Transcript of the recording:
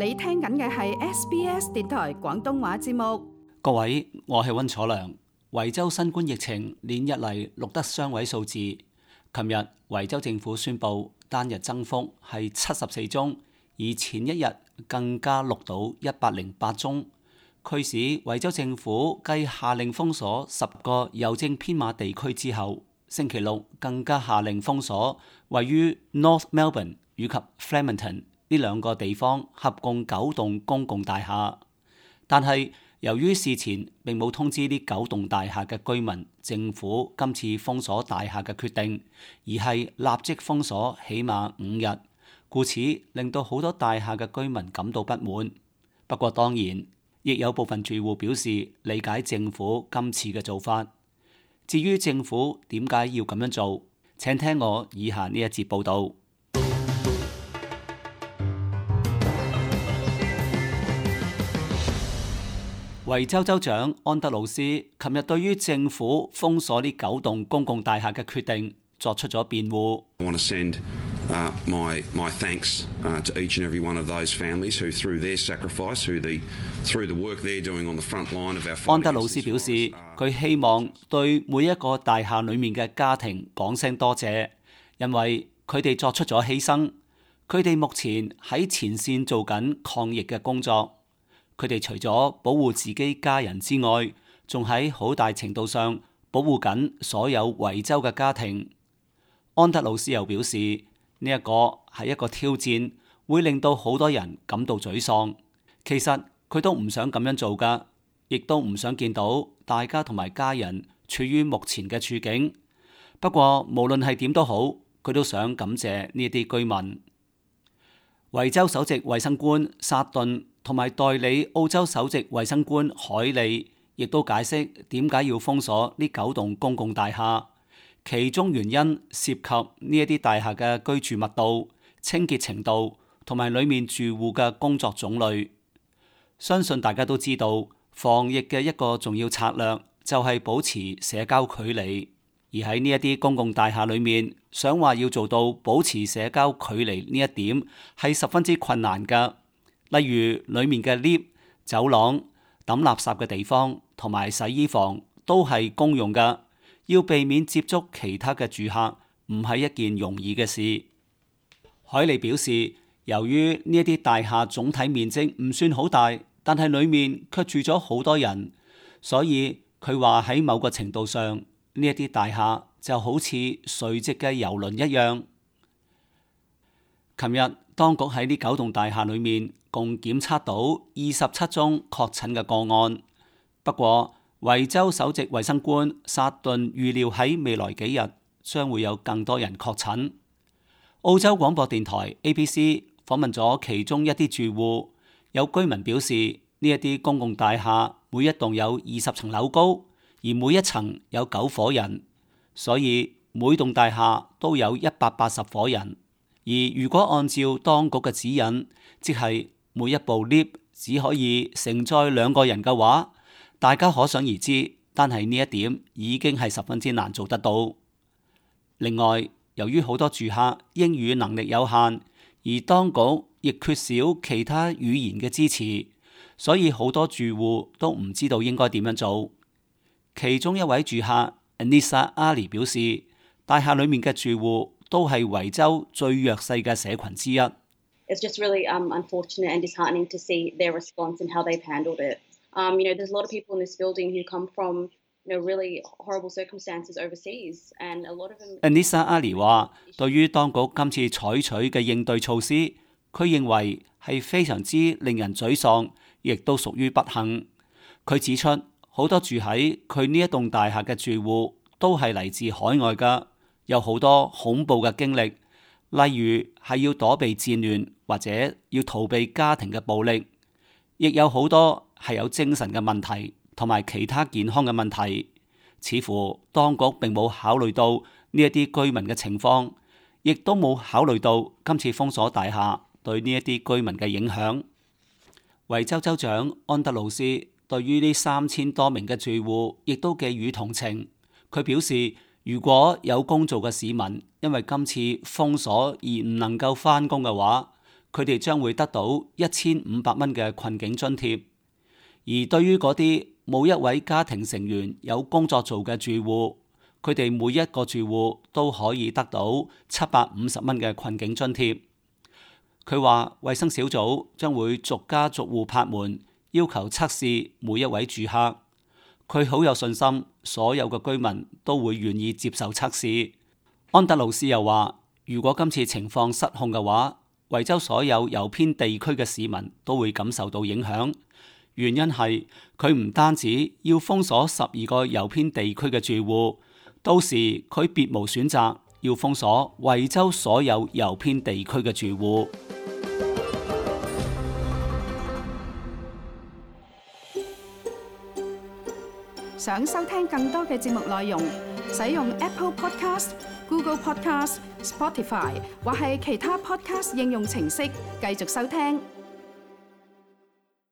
你聽緊嘅係 SBS 電台廣東話節目。各位，我係溫楚良。維州新冠疫情連日嚟錄得雙位數字。琴日維州政府宣布單日增幅係74宗，而前一日更加錄到108宗，驅使維州政府繼下令封鎖10個郵政編碼地區之後，星期六更加下令封鎖位於 North Melbourne 以及 Flemington 呢兩個地方合共9棟公共大廈。但係由於事前並冇通知呢9棟大廈嘅居民，政府今次封鎖大廈嘅決定，而係立即封鎖起碼5日，故此令到好多大廈嘅居民感到不滿。不過當然，亦有部分住戶表示理解政府今次嘅做法。至於政府點解要咁樣做，請聽我以下呢一節報導。維州州長安德魯斯琴日對於政府封鎖呢9棟公共大廈嘅決定作出咗辯護。I want to send my thanks to each and every one of those families who, through their sacrifice, through the work they're doing on the front line of our fight. 安德魯斯表示，佢希望對每一個大廈裡面嘅家庭講聲多謝，因為佢哋作出咗犧牲。佢哋目前喺前線做緊抗疫嘅工作。佢哋除咗保護自己家人之外，仲喺好大程度上保護緊所有維州嘅家庭。安德魯斯又表示，呢一個係一個挑戰，會令到好多人感到沮喪。其實佢都唔想咁樣做㗎，亦都唔想見到大家同埋家人處於目前嘅處境。不過無論係點都好，佢都想感謝呢啲居民。維州首席衛生官薩頓同埋代理澳洲首席衛生官海利亦都解釋點解要封鎖呢9棟公共大廈，其中原因涉及呢一啲大廈嘅居住密度、清潔程度同埋裡面住戶嘅工作種類。相信大家都知道，防疫嘅一個重要策略就係保持社交距離，而喺呢一啲公共大廈裡面，想話要做到保持社交距離呢一點係十分之困難㗎。例如裡面嘅 lift、走廊、抌垃圾嘅地方同埋洗衣房都係公用㗎，要避免接觸其他嘅住客唔係一件容易嘅事。海利表示，由於呢一啲大廈總體面積唔算好大，但係裡面卻住咗好多人，所以佢話喺某個程度上，呢一啲大廈就好似垂直嘅郵輪一樣。琴日當局喺呢9棟大廈裏面共檢測到27宗確診嘅個案。不過維州首席衛生官薩頓預料喺未來幾日將會有更多人確診。澳洲廣播電台 ABC 訪問咗其中一啲住戶，有居民表示呢一啲公共大廈每一棟有20層樓高，而每一層有9伙人，所以每棟大廈都有180伙人。而如果按照當局嘅指引，即係每一部 lift 只可以承載2個人嘅話，大家可想而知，單係呢一點已經係十分之難做得到。另外，由於好多住客英語能力有限，而當局亦缺少其他語言嘅支持，所以好多住戶都唔知道應該點樣做。其中一位住客 Anissa Ali 表示，大廈裡面嘅住戶都係維州最弱勢嘅社群之一。It's just really unfortunate and disheartening to see their response and how they've handled it. There's a lot of people in this building who come from really horrible circumstances overseas, and a lot of them. Anissa Ali 話，對於當局今次採取嘅應對措施，佢認為係非常之令人沮喪，亦都屬於不幸。佢指出，好多住喺佢呢一棟大廈嘅住戶都係嚟自海外㗎，有好多恐怖嘅經歷，例如係要躲避戰亂或者要逃避家庭嘅暴力，亦有好多係有精神嘅問題同埋其他健康嘅問題。似乎當局並冇考慮到呢一啲居民嘅情況，亦都冇考慮到今次封鎖大廈對呢一啲居民嘅影響。維州州長安德魯斯對於呢3000多名嘅住戶亦都寄予同情。佢表示，如果有工做嘅市民因為今次封鎖而唔能夠返工嘅話，佢哋將會得到1500蚊嘅困境津貼。而對於嗰啲冇一位家庭成員有工作做嘅住戶，佢哋每一個住戶都可以得到750蚊嘅困境津貼。佢話衛生小組將會逐家逐戶拍門，要求測試每一位住客。佢好有信心，所有嘅居民都會願意接受測試。安德魯斯又話，如果今次情況失控嘅話，維州所有郵編地區嘅市民都會感受到影響。原因係佢唔單止要封鎖12個郵編地區嘅住戶，到時佢別無選擇，要封鎖維州所有郵編地區嘅住戶。想收聽更多嘅節目內容，使用 Apple Podcast、Google Podcast、Spotify 或係其他 Podcast 應用程式繼續收聽。